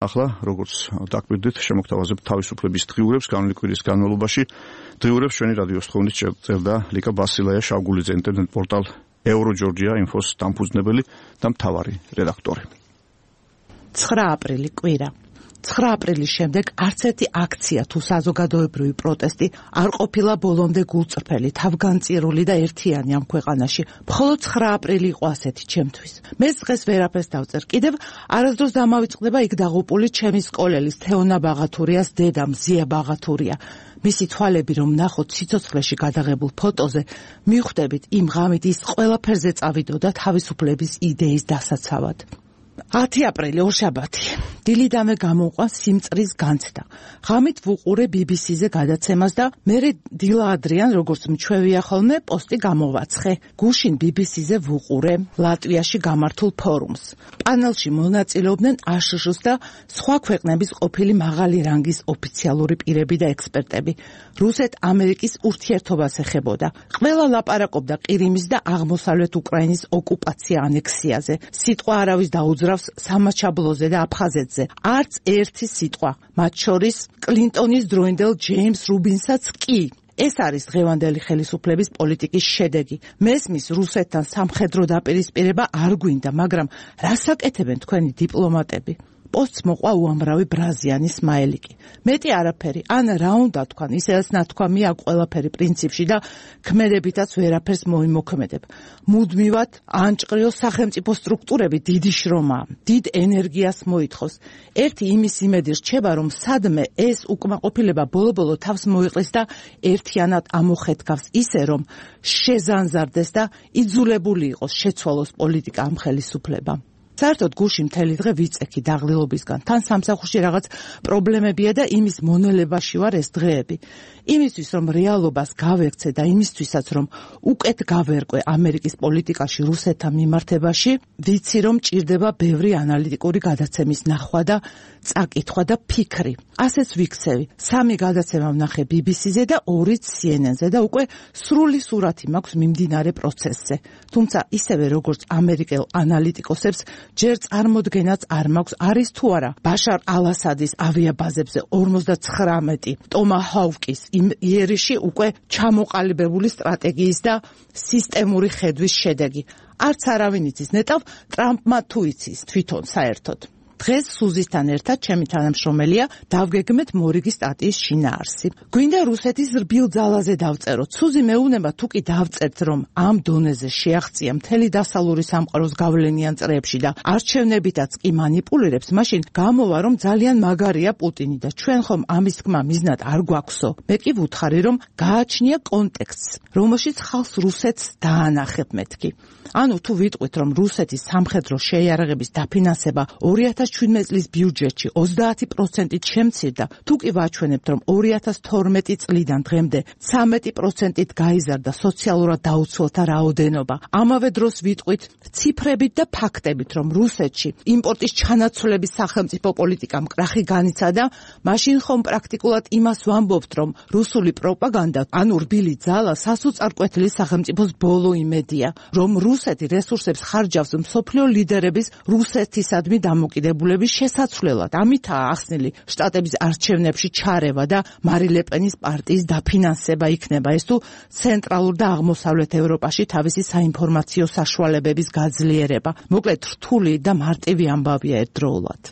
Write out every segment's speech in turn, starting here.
ახლა როგორც დაკვირდით, შემოგთავაზებთ თავისუფლების დღიურებს განვლილი კვირის განმავლობაში. დღიურებს ჩვენი რადიოს თხოვნით წერდა ლიკა ბასილაია შავგულიძე, ინტერნეტ პორტალ Euro-Georgia Info-ს დამფუძნებელი და მთავარი რედაქტორი. 9 აპრილი კვირა. 9 აპრილის შემდეგ არც ერთი აქცია თუ საზოგადოებრივი პროტესტი არ ყოფილა ბოლომდე გულწრფელი, თავგანწირული და ერთიანი ამ ქვეყანაში. მხოლოდ 9 აპრილი იყო ასეთი ჩემთვის. მე დღეს ვერაფერს დავწერ. კიდევ არასდროს დამავიწყდება იქ დაღუპული ჩემი სკოლელის თეონა ბაღათურიას დედა მზია ბაღათურია. მისი თვალები რომ ნახოთ სიცოცხლეში გადაღებულ ფოტოზე, მივხვდებით იმ ღამით ის ყველაფერზე წავიდოდა თავისუფლების იდეის დასაცავად. 10 აპრილი ორშაბათი. დილიდანვე გამოვყვა სიმწრის განცდა. ღამით ვუყურე BBC-ზე გადაცემას და მერე დილა ადრიან, როგორც მჩვევია ხოლმე, პოსტი გამოვაცხე. გუშინ BBC-ზე ვუყურე ლატვიაში გამართულ ფორუმს. პანელში მონაწილეობდნენ ASHS და სხვა ქვეყნების ყოფილი მაღალი რანგის ოფიციალური პირები და ექსპერტები. რუსეთ-ამერიკის ურთიერთობას ეხებოდა. ყველა ლაპარაკობდა ყირიმის და აღმოსავლეთ უკრაინის ოკუპაცია ანექსიაზე. სიტყვა არავის დაუძრავს სამაჩაბლოზე და აფხაზეთზე. არც ერთი სიტყვა, მათ შორის კლინტონის დროინდელ ჯეიმს რუბინსაც კი. ეს არის დღევანდელი ხელისუფლების პოლიტიკის შედეგი. მესმის რუსეთთან სამხედრო დაპირისპირება არ გვინდა, მაგრამ რას აკეთებენ თქვენი დიპლომატები? პოსტს მოყვა უამრავი ბრაზიანი სმაილიკი. მეტი არაფერი, ან რა უნდა თქვან, ისედაც ნათქვამია ყველაფერი პრინციპში და ქმედებითაც ვერაფერს მოიმოქმედებ. მუდმივად ანჭყრიო სახელმწიფო სტრუქტურები დიდი შრომაა, დიდ ენერგიას მოითხოვს. ერთი იმის იმედი რჩება, რომ სადმე ეს უკმაყოფილება ბოლო-ბოლო თავს მოიყლის და ერთიანად ამოხეთქავს ისე, რომ შეზანზარდეს და იძულებული იყოს შეცვალოს პოლიტიკა ამ ხელისუფლებამ. საერთოდ გუში მთელი დღე ვიწექი დაღლილობისგან. თან სამსახურში რაღაც პრობლემებია და იმის მონელებაში ვარ ეს დღეები. იმისთვის რომ რეალობას გავექცე და იმისთვისაც რომ უკეთ გავერკვე ამერიკის პოლიტიკაში რუსეთთან მიმართებაში, ვიცი რომ ჭირდება ბევრი ანალიტიკური გადაცემის ნახვა და წაკითხვა და ფიქრი. ასეც ვიქცევი. 3 გადაცემა ვნახე BBC-ზე და 2 CNN-ზე და უკვე სრული სურათი მაქვს მიმდინარე პროცესზე. თუმცა ისევე როგორც ამერიკელ ანალიტიკოსებს ჯერ წარმოდგენაც არ მაქვს არის თუ არა ბაშარ ალ-ასადის ავიაბაზებზე 59 ტომაჰავკის იერიში უკვე ჩამოყალიბებული სტრატეგიის და სისტემური ხედვის შედეგი. არც არავინ იცის, ნეტავ ტრამპმა თუ იცის თვითონ საერთოდ. დღეს სუზისთან ერთად ჩემი თანამშრომელია დავგეგმეთ მორიგის სტატიის შინაარსი. გვინდა რუსეთის რბილ ძალაზე დავწეროთ. სუზი მეუბნება თუ კი დავწერთ, რომ ამ დონეზე შეაღწია მთელი დასავლური სამყაროს გავლენიან წრეებში და არჩევნებითაც კი მანიპულირებს, მაშინ გამოვა რომ ძალიან მაგარია პუტინი და ჩვენ ხომ ამის თქმა მიზნად არ გვაქვსო. მე კი ვუთხარი რომ გააჩნია კონტექსტს, რომელშიც ხალხს რუსეთს დაანახებ მეთქი. ანუ თუ ვიტყვით რომ რუსეთის სამხედრო შეიარაღების დაფინანსება 2017 წლის ბიუჯეტში 30%-ით შემცირდა, თუ კი ვაჩვენებთ რომ 2012 წლიდან დღემდე 13%-ით გაიზარდა სოციალურად დაუცველთა რაოდენობა, ამავე დროს ვიტყვით ციფრებით და ფაქტებით რომ რუსეთში იმპორტის ჩანაცვლების სახელმწიფო პოლიტიკამ კრახი განიცადა, მაშინ ხომ პრაქტიკულად იმას ვამბობთ რომ რუსული პროპაგანდა, ანუ რბილი ძალა სასოწარკვეთილი სახელმწიფოს ბოლო იმედია, რომ რუსეთი რესურსებს ხარჯავს მსოფლიო ლიდერების რუსეთისადმი დამოკიდებულების შესაცვლელად. ამითაა ახსნილი შტატების არჩევნებში ჩარევა და მარი ლეპენის პარტიის დაფინანსება იქნება ეს თუ ცენტრალურ და აღმოსავლეთ ევროპაში თავისი საინფორმაციო საშუალებების გაძლიერება. მოკლედ რთული და მარტივი ამბავია ერთდროულად.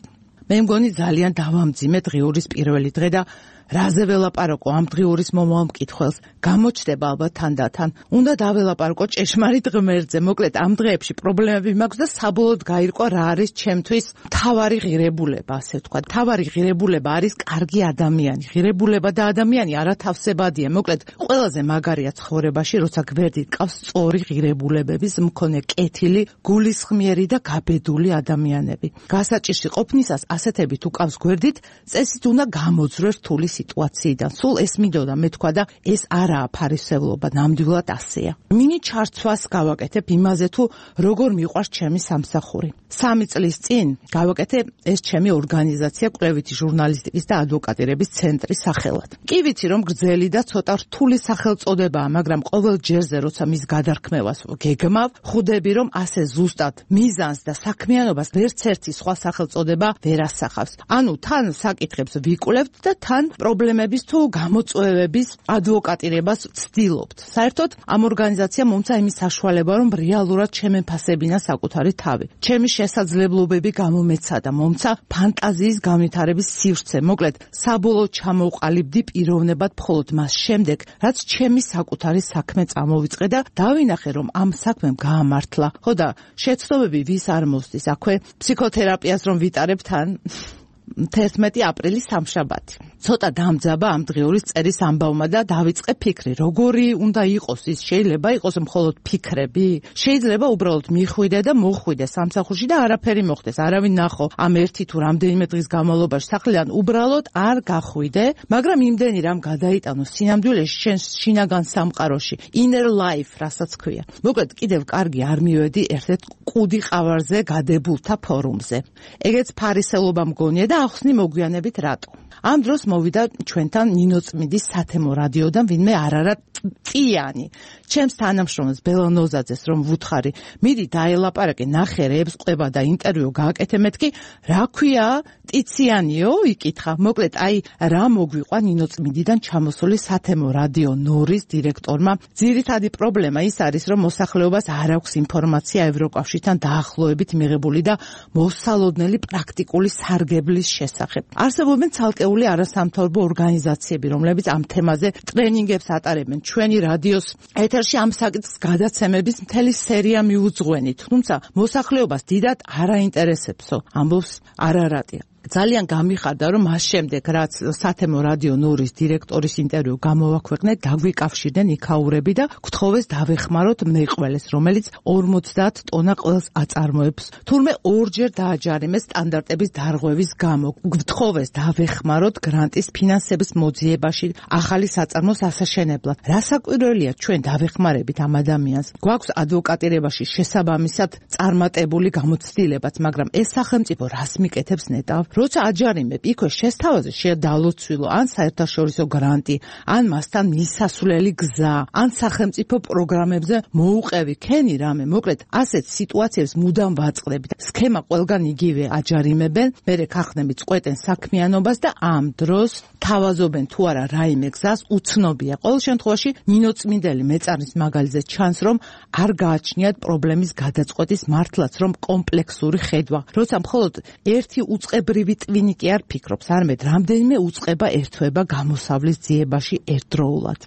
მე მგონი ძალიან დავამძიმე დღიურის პირველი დღე და რაზე ველაპარაკო ამ დღიურის მომავალ მკითხველს, გამოჩნდება ალბათ თანდათან. უნდა დაველაპარაკო ჭეშმარიტ ღმერთზე. მოკლედ ამ დღეებში პრობლემები მაქვს და საბოლოოდ გაირკვა რა არის ჩემთვის თავარი ღირებულება, ასე ვთქვა. თავარი ღირებულება არის კარგი ადამიანი. ღირებულება და ადამიანი არათავსებადია. მოკლედ ყველაზე მაგარია ცხოვრებაში, როცა გვერდით ყავს სწორი ღირებულებების მქონე კეთილი, გულისხმიერი და გაბედული ადამიანები. გასაჭირში ყოფნისას ასეთები თუ ყავს გვერდით, წესით უნდა გამოძრე რთული სიტუაციიდან. სულ ეს მინდოდა მე თქვა და ეს არაა ფარისევლობა, ნამდვილად ასეა. მინი ჩარცვას გავაკეთებ იმაზე თუ როგორ მიყვარს ჩემი სამსახური. 3 წლის წინ გავაკეთე ეს ჩემი ორგანიზაცია კვლევითი ჟურნალისტიკის და ადვოკატირების ცენტრის სახელად. კი ვიცი რომ გრძელი და ცოტა რთული სახელწოდებაა, მაგრამ ყოველ ჯერზე როცა მის გადარქმევას გეგმავ, ხვდები რომ ასე ზუსტად მიზანს და საქმიანობას ვერც ერთი სხვა სახელწოდება ვერ ასახავს. ანუ თან საკითხებს ვიკვლევთ და თან პრობლემების თუ გამოწვევების ადვოკატირებას ვცდილობთ. საერთოდ ამ ორგანიზაციამ მომცა იმის საშუალება რომ რეალურად შემეფასებინა საკუთარი თავი. ჩემი შესაძლებლობები გამომეცადა, მომცა ფანტაზიის განვითარების სივრცე. მოკლედ, საბოლოოდ ჩამოვყალიბდი პიროვნებად მხოლოდ მას შემდეგ, რაც ჩემი საკუთარი საქმე წამოვიწყე და დავინახე, რომ ამ საქმემ გაამართლა. ხო და შეცდომები ვის არ მოსდის აქვე ფსიქოთერაპიას რომ ვიტარებ თან 11 აპრილის სამშაბათი. ცოტა დამძაბა ამ დღეურის წერის ამბავმა და დავიწყე ფიქრი, როგორი უნდა იყოს ის, შეიძლება იყოს მხოლოდ ფიქრები, შეიძლება უბრალოდ მიხვიდე და მოხვიდე სამსახურში და არაფერი მოხდეს, არავინ ნახო ამ ერთი თუ რამდენიმე დღის განმავლობაში სახლიდან უბრალოდ არ გახვიდე, მაგრამ იმდენი რამ გადაიტანო სინამდვილეში შენ შინაგან სამყაროში, inner life, რასაც ქვია. მოკლედ კიდევ კარგი არ მივედი ერთ-ერთ კუდი ყავარზე გადებულთა ფორუმზე. ეგეც ფარისევლობა მგონია და ახსნი მოგვიანებით რატო. ამ დროს მოვიდა ჩვენთან ნინო წმინდის სათემო რადიოდან ვინმე არარა წიანი. ჩემს თანამშრომელს ბელა ნოზაძეს რომ ვუთხარი, მიდი დაელაპარაკე, ნახე რეებს ყובה და ინტერვიუ გააკეთე, მეთქი რა ქვია ტიციანიო, იკითხა. მოკლედ აი რა მოგვიყვა ნინო წმინდიდან ჩამოსული სათემო რადიო ნორის დირექტორმა. ძირითადი პრობლემა ის არის, რომ მოსახლეობას არ აქვს ინფორმაცია ევროკავშირთან დაახლოებით მიღებული და მოსალოდნელი პრაქტიკული სარგებლის შესახებ. არსებობენ ცალკეული არასამთავრობო ორგანიზაციები, რომლებიც ამ თემაზე ტრენინგებს ატარებენ. ჩვენი რადიოს ეთერში ამ საკითხის გადაცემების მთელი სერია მიუძღვენით, თუმცა მოსახლეობას დიდად არ აინტერესებსო, ამბობს არარატია. ძალიან გამიხარდა რომ მას შემდეგ რაც სათემო რადიო ნორის დირექტორის ინტერვიუ გამოვაქვეყნე, დაგვიკავშირდნენ იქაურები და გთხოვეს დავეხმაროთ მეყველეს, რომელიც 50 ტონა ყველს აწარმოებს. თურმე ორჯერ დააჯარიმეს სტანდარტების დარღვევის გამო. გთხოვეს დავეხმაროთ გრანტის ფინანსების მოძიებაში ახალი საწარმოს ასაშენებლად. რასაკვირველია, ჩვენ დავეხმარებით ამ ადამიანს. გვაქვს ადვოკატირებაში შესაბამისად წარმატებული გამოცდილებაც, მაგრამ ეს სახელმწიფო რას მიკეთებს ნეტავ? როცა აჯარიმებ, იქვე შესთავაზე შედალოცვილო, ან საერთაშორისო გრანტი, ან მასთან მისასვლელი გზა, ან სახელმწიფო პროგრამებზე მოუყევი ქენი რამე. მოკლედ, ასეთ სიტუაციებს მუდამ ვაწყდებით. სქემა ყველგან იგივე აჯარიმებენ, მერე ქარხნები წყვეტენ საქმიანობას და ამ დროს თავაზობენ თუ არა რაიმე გზას, უცნობია. ყოველ შემთხვევაში ნინო წმინდელი მეწარის მაგალითზე ჩანს, რომ არ გააჩნიათ პრობლემის გადაწყვეტის მართლაც, რომ კომპლექსური ხედვა. როცა მხოლოდ ერთი უწყებრივი ტვინი კი არ ფიქრობს, არამედ რამდენიმე უწყება ერთვება გამოსავლის ძიებაში ერთდროულად.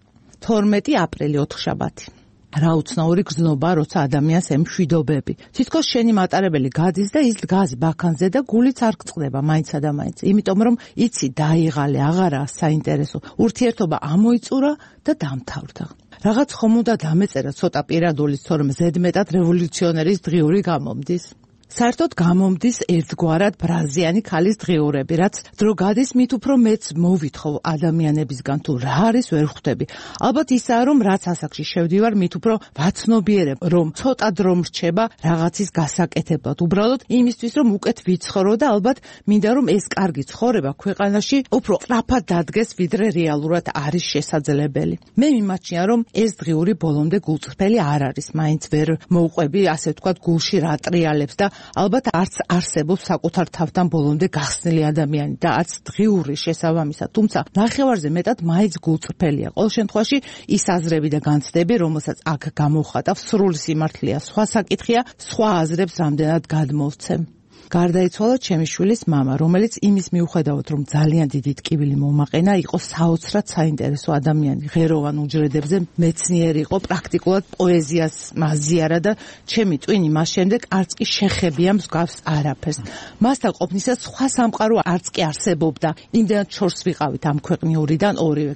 12 აპრილი ოთხშაბათი. რა უცნაური გზნობა, როცა ადამიანს ემშვიდობები. თითქოს შენი მატარებელი გადის და ის დგას ბაქანზე და გულიც არ გწყდება მაინცა და მაინც. იმიტომ რომ იცი დაიღალე, აღარაა საინტერესო. ურთიერთობა ამოიწურა და დამთავრდა. რაღაც ხომ უნდა დამეწერა ცოტა პირადულის, თორემ ზედმეტად რევოლუციონერის დღიური გამომდის. საერთოდ გამომდის ერთგვარად ბრაზიანი ქალის დღიურები, რაც დრო გადის მით უფრო მეც მოვითხოვ ადამიანებისგან თუ რა არის ვერ ხვდები. ალბათ ისაა რომ რაც ასაკში შევდივარ, მით უფრო ვაცნობიერებ, რომ ცოტა დრო მრჩება რაღაცის გასაკეთებლად. უბრალოდ იმისთვის რომ უკეთ ვიცხოვრო და ალბათ მინდა რომ ეს კარგი ცხოვრება ქვეყანაში უფრო სწრაფად დადგეს, ვიდრე რეალურად არის შესაძლებელი. მე მიმაჩნია რომ ეს დღიური ბოლომდე გულწრფელი არ არის, მაინც ვერ მოუყვები ასე ვთქვათ გულში რა ტრიალებს და ალბათ არც არსებობს საკუთარ თავთან ბოლომდე გახსნილი ადამიანი და არც დღიური შესაბამისად, თუმცა ნახევარზე მეტად მაინც გულწრფელია. ყოველ შემთხვევაში ის აზრები და განცდები, რომელსაც აქ გამოვხატავ, სრული სიმართლეა. სხვა საკითხია, სხვა აზრებს რამდენად გადმოვცემ. გარდაიცვალა ჩემი შვილის მამა, რომელიც იმის მიუხედავად, რომ ძალიან დიდი ტკივილი მომაყენა, იყო საოცრად საინტერესო ადამიანი, ღეროვან უჯრედებზე მეცნიერი იყო, პრაქტიკულად პოეზიას მაზიარა და ჩემი ტვინი მას შემდეგ არც კი შეხებია მსგავს არაფერს. მასთან ყოფნისას სხვა სამყარო არც კი არსებობდა. იმდენად შორს ვიყავით ამ ქვეყნიურიდან ორივე.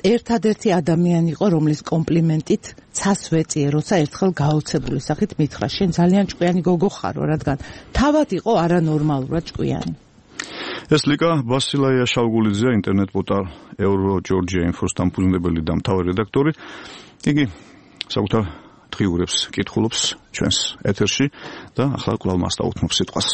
ერთადერთი ადამიანი იყო, რომლის კომპლიმენტით ცას ვეწიე, როცა ერთხელ გაოცებული სახით მითხრა, შენ ძალიან ჭკვიანი გოგო ხარო, რადგან თავად იყო არანორმალურად ჭკვიანი. ეს ლიკა ბასილაია შავგულიძე, ინტერნეტ პორტალ Euro-Georgia Info-ს დამფუძნებელი და მთავარი რედაქტორი. იგი საკუთარ დღიურებს კითხულობს ჩვენს ეთერში და ახლა კვლავ მას დაუთმობ სიტყვას.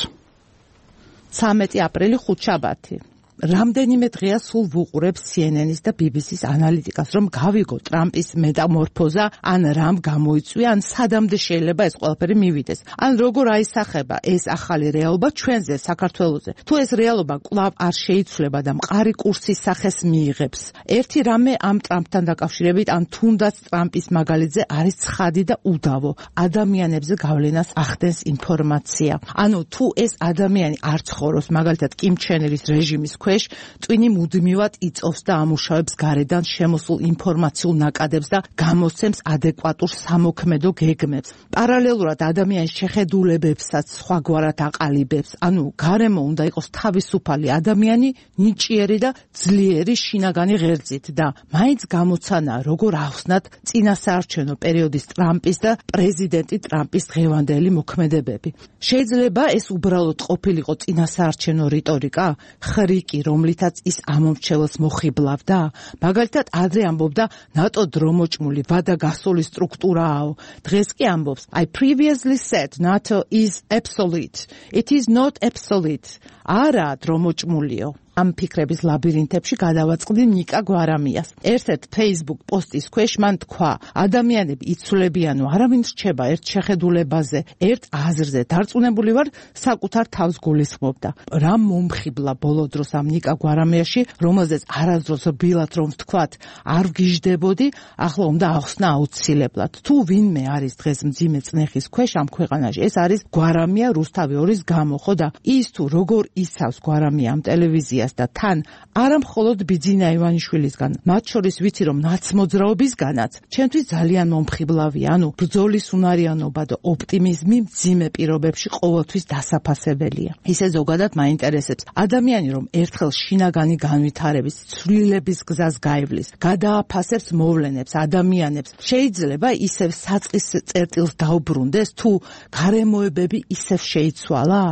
13 აპრილი ხუთშაბათი. რამდენიმე დღეა სულ ვუყურებ CNN-ის და BBC-ის ანალიტიკას, რომ გავიგო ტრამპის მეტამორფოზა, ან რამ გამოიწვია, ან სადამდე შეიძლება ეს ყველაფერი მივიდეს. ან როგორ აისახება ეს ახალი რეალობა ჩვენზე, საქართველოზე. თუ ეს რეალობა კვლავ არ შეიცვლება და მყარი კურსის სახეს მიიღებს. ერთი რამე ამ ტრამპთან დაკავშირებით, ან თუნდაც ტრამპის მაგალითზე არის ცხადი და უდავო. ადამიანებზე გავლენას ახდენს ინფორმაცია. ანუ თუ ეს ადამიანი არ ცხოვრობს, მაგალითად კიმ ჩენ ირის რეჟიმის ქვეშ, ტვინი მუდმივად იწოვს და ამუშავებს გარედან შემოსულ ინფორმაციულ ნაკადებს და გამოსცემს ადეკვატურ სამოქმედო გეგმებს. პარალელურად ადამიანის შეხედულებებსაც სხვაგვარად აყალიბებს. ანუ გარემო უნდა იყოს თავისუფალი ადამიანი, ნიჭიერი და ძლიერი შინაგანი ღერძით და მაინც გამოცანაა როგორ ახსნათ წინასაარჩევნო პერიოდის ტრამპის და პრეზიდენტი ტრამპის დღევანდელი მოქმედებები. შეიძლება ეს უბრალოდ ყოფილიყო წინასაარჩევნო რიტორიკა, ხრიკი, რომლითაც ის ამომრჩეველს მოხიბლავდა. მაგალითად, ადრე ამბობდა ნატო დრომოჭმული ვადა გასული სტრუქტურააო. დღეს კი ამბობს I previously said NATO is obsolete. It is not obsolete. არა დრომოჭმულიო. ამ ფიქრების ლაბირინთებში გადავაწყდი ნიკა გვარამიას. ერთ-ერთ Facebook პოსტის ქვეშ მან თქვა, ადამიანები იცვლებიანო, არავინ რჩება ერთ შეხედულებაზე, ერთ აზრზე. დარწმუნებული ვარ, საკუთარ თავს გულისხმობდა. რა მომხიბლა ბოლო დროს ამ ნიკა გვარამიაში, რომელზეც არასდროს რბილად რომ ვთქვათ, არ ვგიჟდებოდი, ახლა უნდა ახსნა აუცილებლად. თუ ვინმე არის დღეს მძიმე წნეხის ქვეშ ამ ქვეყანაში, ეს არის გვარამია რუსთავი 2-ის გამო, ხო და ის თუ როგორ იცავს გვარამია ამ ტელევიზიას და თან არა მხოლოდ ბიძინა ივანიშვილისგან, მათ შორის ვიცი რომ ნაცმოძრაობისგანაც, ჩემთვის ძალიან მომხიბლავია, ანუ ბრძოლის უნარიანობა და ოპტიმიზმი მძიმე პირობებში ყოველთვის დასაფასებელია. ისე ზოგადად მაინტერესებს, ადამიანი რომ ერთხელ შინაგანი განვითარების, ცვლილების გზას გაივლის, გადააფასებს მოვლენებს, ადამიანებს, შეიძლება ისევ საწყის წერტილს დაუბრუნდეს, თუ გარემოებები ისევ შეიცვალა?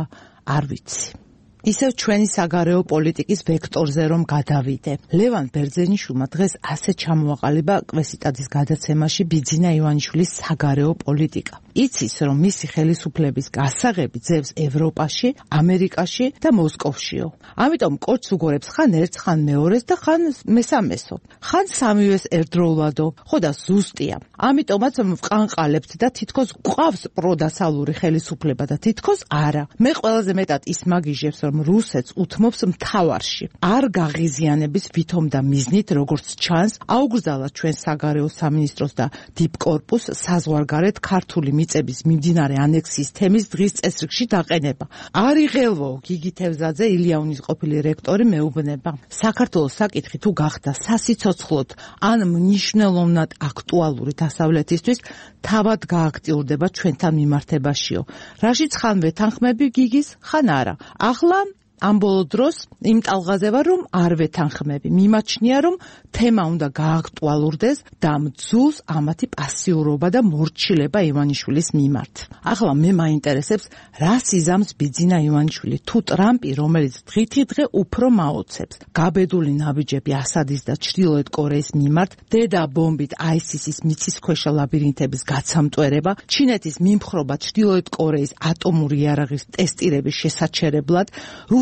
არ ვიცი. ისევ ჩვენი საგარეო პოლიტიკის ვექტორზე რომ გადავიდე. ლევან ბერძენიშვილმა დღეს ასე ჩამოაყალიბა კვესიტაძის გადაცემაში ბიძინა ივანიშვილის საგარეო პოლიტიკა. იცის, რომ მისი ხელისუფლების გასაღები ძევს ევროპაში, ამერიკაში და მოსკოვშიო. ამიტომ კოჩს უგორებს ხან ერთს, ხან მეორეს და ხან მესამესო. ხან სამივეს ერთდროულადო. ხო და ზუსტია. ამიტომაც ვყანყალებთ და თითქოს გვყავს პროდასალური ხელისუფლება და თითქოს არა. მე ყველაზე მეტად ის მაგიჟებს, რომ რუსეთს უთმობს მთავარში. არ გაღიზიანების ვითომ და მიზნით, როგორც ჩანს, აუგზავნა ჩვენ საგარეო სამინისტროს და დიპკორპუსს საზღვარგარეთ ქართული მიწების მიმდინარე ანექსიის თემის დღის წესრიგში დაყენება. არ იღელვო გიგი თევზაძე, ილიაუნის ყოფილი რექტორი მეუბნება. საქართველოს საკითხი თუ გახდა სასიცოცხლოდ ან მნიშვნელოვნად აქტუალური დასავლეთისთვის, თავად გააქტიურდება ჩვენთან მიმართებაშიო. რაშიც ხან ვეთანხმები გიგის, ხან არა. ახლა ამ ბოლო დროს იმ ტალღაზე ვარ, რომ არ ვეთანხმები. მიმაჩნია, რომ თემა უნდა გააქტუალურდეს და მძულს ამათი პასიურობა და მორჩილება ივანიშვილის მიმართ. ახლა მე მაინტერესებს, რა სიზამს ბიძინა ივანიშვილი, თუ ტრამპი, რომელიც დღითი დღე უფრო მაოცებს. გაბედული ნაბიჯები ასადის და ჩრდილოეთ კორეის მიმართ, დედა ბომბით ISIS-ის მიწისქვეშა ლაბირინთების გაცამტვერება, ჩინეთის მიმხრობა ჩრდილოეთ კორეის ატომური იარაღის ტესტირების შესაჩერებლად,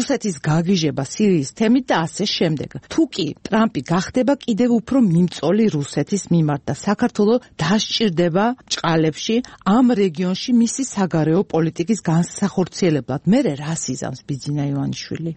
რუსეთის გაგიჟება სირიის თემით და ასე შემდეგ. თუ კი ტრამპი გახდება კიდევ უფრო მიმწოლი რუსეთის მიმართ და საქართველო დასჭირდება ჭყალებში ამ რეგიონში მისი საგარეო პოლიტიკის განსახორციელებლად. მერე რა სიზამს ბიძინა ივანიშვილი?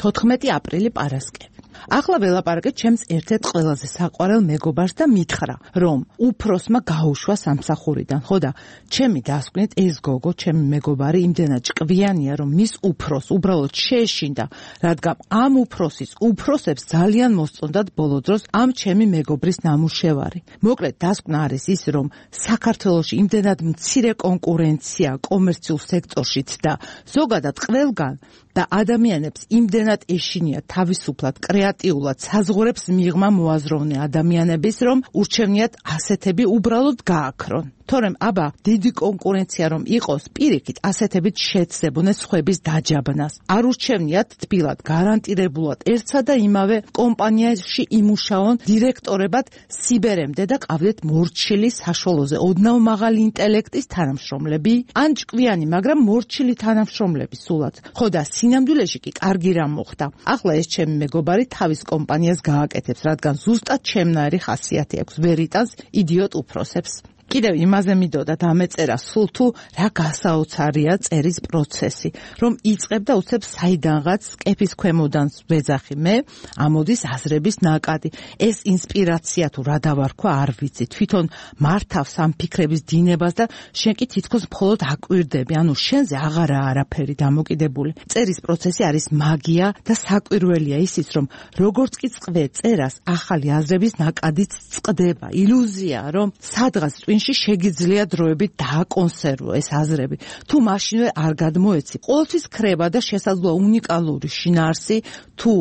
14 აპრილი პარასკევი. ახლა ველაპარაკეთ ჩემს ერთ-ერთ ყველაზე საყვარელ მეგობარს და მითხრა, რომ უფროსმა გაუშვა სამსახურიდან. ხო და ჩემი დასკვნით ეს გოგო, ჩემი მეგობარი იმდენად ჭკვიანია, რომ მის უფროს უბრალოდ შეეშინდა, რადგან ამ უფროსის უფროსებს ძალიან მოსწონდათ ბოლო დროს ამ ჩემი მეგობრის ნამუშევარი. მოკლედ დასკვნა არის ის, რომ საქართველოში იმდენად მცირე კონკურენცია კომერციულ სექტორშიც და ზოგადად ყველგან და ადამიანებს იმდენად ეშინია თავისუფლად, კრეატიულად საზღვრებს მიღმა მოაზროვნე ადამიანების, რომ ურჩევნიათ ასეთები უბრალოდ გააქრონ. თორემ აბა დიდი კონკურენცია რომ იყოს, პირიქით ასეთებით შეცდებოდნენ სხვების დაჯაბნას. არ ურჩევნიათ თბილად, გარანტირებულად ერთსა და იმავე კომპანიაში იმუშაონ დირექტორებად სიბერემდე და ყავდეთ მორჩილი საშუალოზე ოდნავ მაღალი ინტელექტის თანამშრომლები, ან ჭკვიანი, მაგრამ მორჩილი თანამშრომლები სულაც. ხო და სინამდვილეში კი კარგი რამ მოხდა. ახლა ეს ჩემი მეგობარი თავის კომპანიას გააკეთებს, რადგან ზუსტად ჩემნაირი ხასიათი აქვს, ვერ იტანს იდიოტ უფროსებს. კიდევ იმაზე მინდოდა დამეწერა სულ თუ რა გასაოცარია წერის პროცესი, რომ იწყებ და უცებ საიდანღაც კეფის ქვემოდან ვეძახი მე, ამოდის აზრების ნაკადი. ეს ინსპირაცია თუ რა დავარქვა არ ვიცი, თვითონ მართავს ამ ფიქრების დინებას და შენ კი თითქოს მხოლოდ აკვირდები, ანუ შენზე აღარაა არაფერი დამოკიდებული. წერის პროცესი არის მაგია და საკვირველია ისიც, რომ როგორც კი წყვე წერას, ახალი აზრების ნაკადიც წყდება. ილუზია, რომ სადღაც შეგიძლია დროებით დააკონსერვო ეს აზრები. თუ მაშინვე არ გადმოეცი, ყოველთვის ქრება და შესაძლოა უნიკალური შინაარსი თუ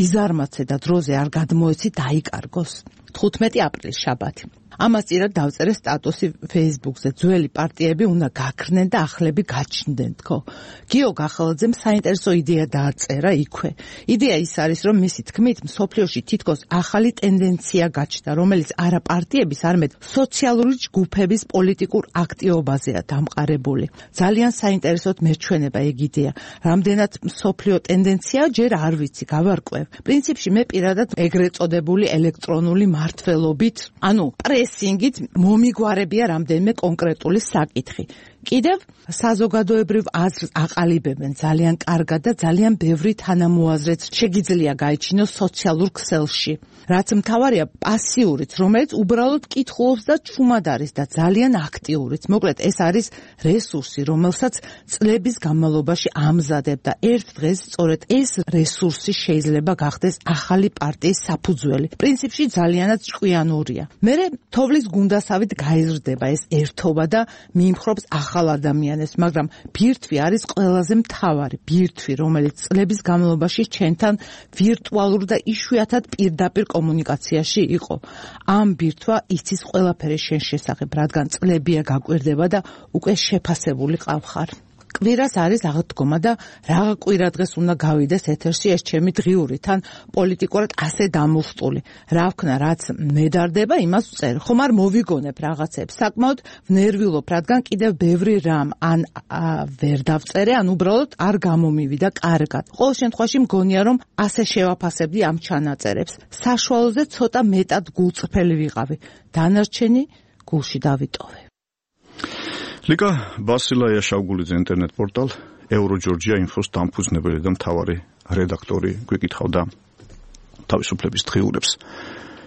იზარმაცე და დროზე არ გადმოეცი დაიკარგოს. 15 აპრილის შაბათი. ამას წინათ დავწერე სტატუსი Facebook-ზე. ძველი პარტიები უნდა გაქრნენ და ახლები გაჩნდნენ, თქო. გიო გახალაძემ საინტერესო იდეა დააწერა იქვე. იდეა ის არის, რომ მისი თქმით, მსოფლიოში თითქოს ახალი ტენდენცია გაჩნდა, რომელიც არა პარტიების, არამედ სოციალური ჯგუფების პოლიტიკურ აქტივობაზეა დამყარებული. ძალიან საინტერესოდ მერჩვენება ეგ იდეა. რამდენად მსოფლიო ტენდენცია, ჯერ არ ვიცი, გავარკვევ. პრინციპში მე პირადად ეგრეთ წოდებული ელექტრონული მართველობით, ანუ პრესინგით მომიგვარებია რამდენიმე კონკრეტული საკითხი. კიდევ საზოგადოებრივ აზრს აყალიბებენ ძალიან კარგად და ძალიან ბევრი თანამოაზრეც შეგიძლია გაიჩინოს სოციალურ ქსელში. რაც მთავარია პასიურიც, რომელიც უბრალოდ კითხულობს და ჩუმად არის და ძალიან აქტიურიც. მოკლედ ეს არის რესურსი, რომელსაც წლების განმავლობაში ამზადებ და ერთ დღეს სწორედ ეს რესურსი შეიძლება გახდეს ახალი პარტიის საფუძველი. პრინციპში ძალიანაც ჭკვიანურია. მერე თოვლის გუნდასავით გაიზრდება ეს ერთობა და მიიმხრობს ახალ ადამიანებს, მაგრამ ბირთვი არის ყველაზე მთავარი, ბირთვი, რომელიც წლების განმავლობაში ჩვენთან ვირტუალურ და იშვიათად პირდაპირ კომუნიკაციაში იყო. ამ ბირთვა იცის ყველაფერი შენ შესახებ, რადგან წლებია გაკვირდება და უკვე შეფასებული ყავხარ. კვირას არის აღდგომა და რა კვირა დღეს უნდა გავიდეს ეთერში ეს ჩემი დღიური, თან პოლიტიკურად ასე დამუხტული. რა ვქნა, რაც მედარდება, იმას ვწერ. ხომ არ მოვიგონებ რაღაცებს. საკმაოდ ვნერვიულობ, რადგან კიდევ ბევრი რამ ან ვერ დავწერე, ან უბრალოდ არ გამომივიდა კარგად. ყოველ შემთხვევაში მგონია, რომ ასე შევაფასებდი ამ ჩანაწერებს. საშუალოზე ცოტა მეტად გულწრფელი ვიყავი. დანარჩენი გულში დავიტოვე. ლიკა ბასილაია შავგულიძე ინტერნეტ პორტალ ევროჯორჯია ინფოს დამფუძნებელი და მთავარი რედაქტორი გვიკითხავდა თავისუფლების დღიურებს.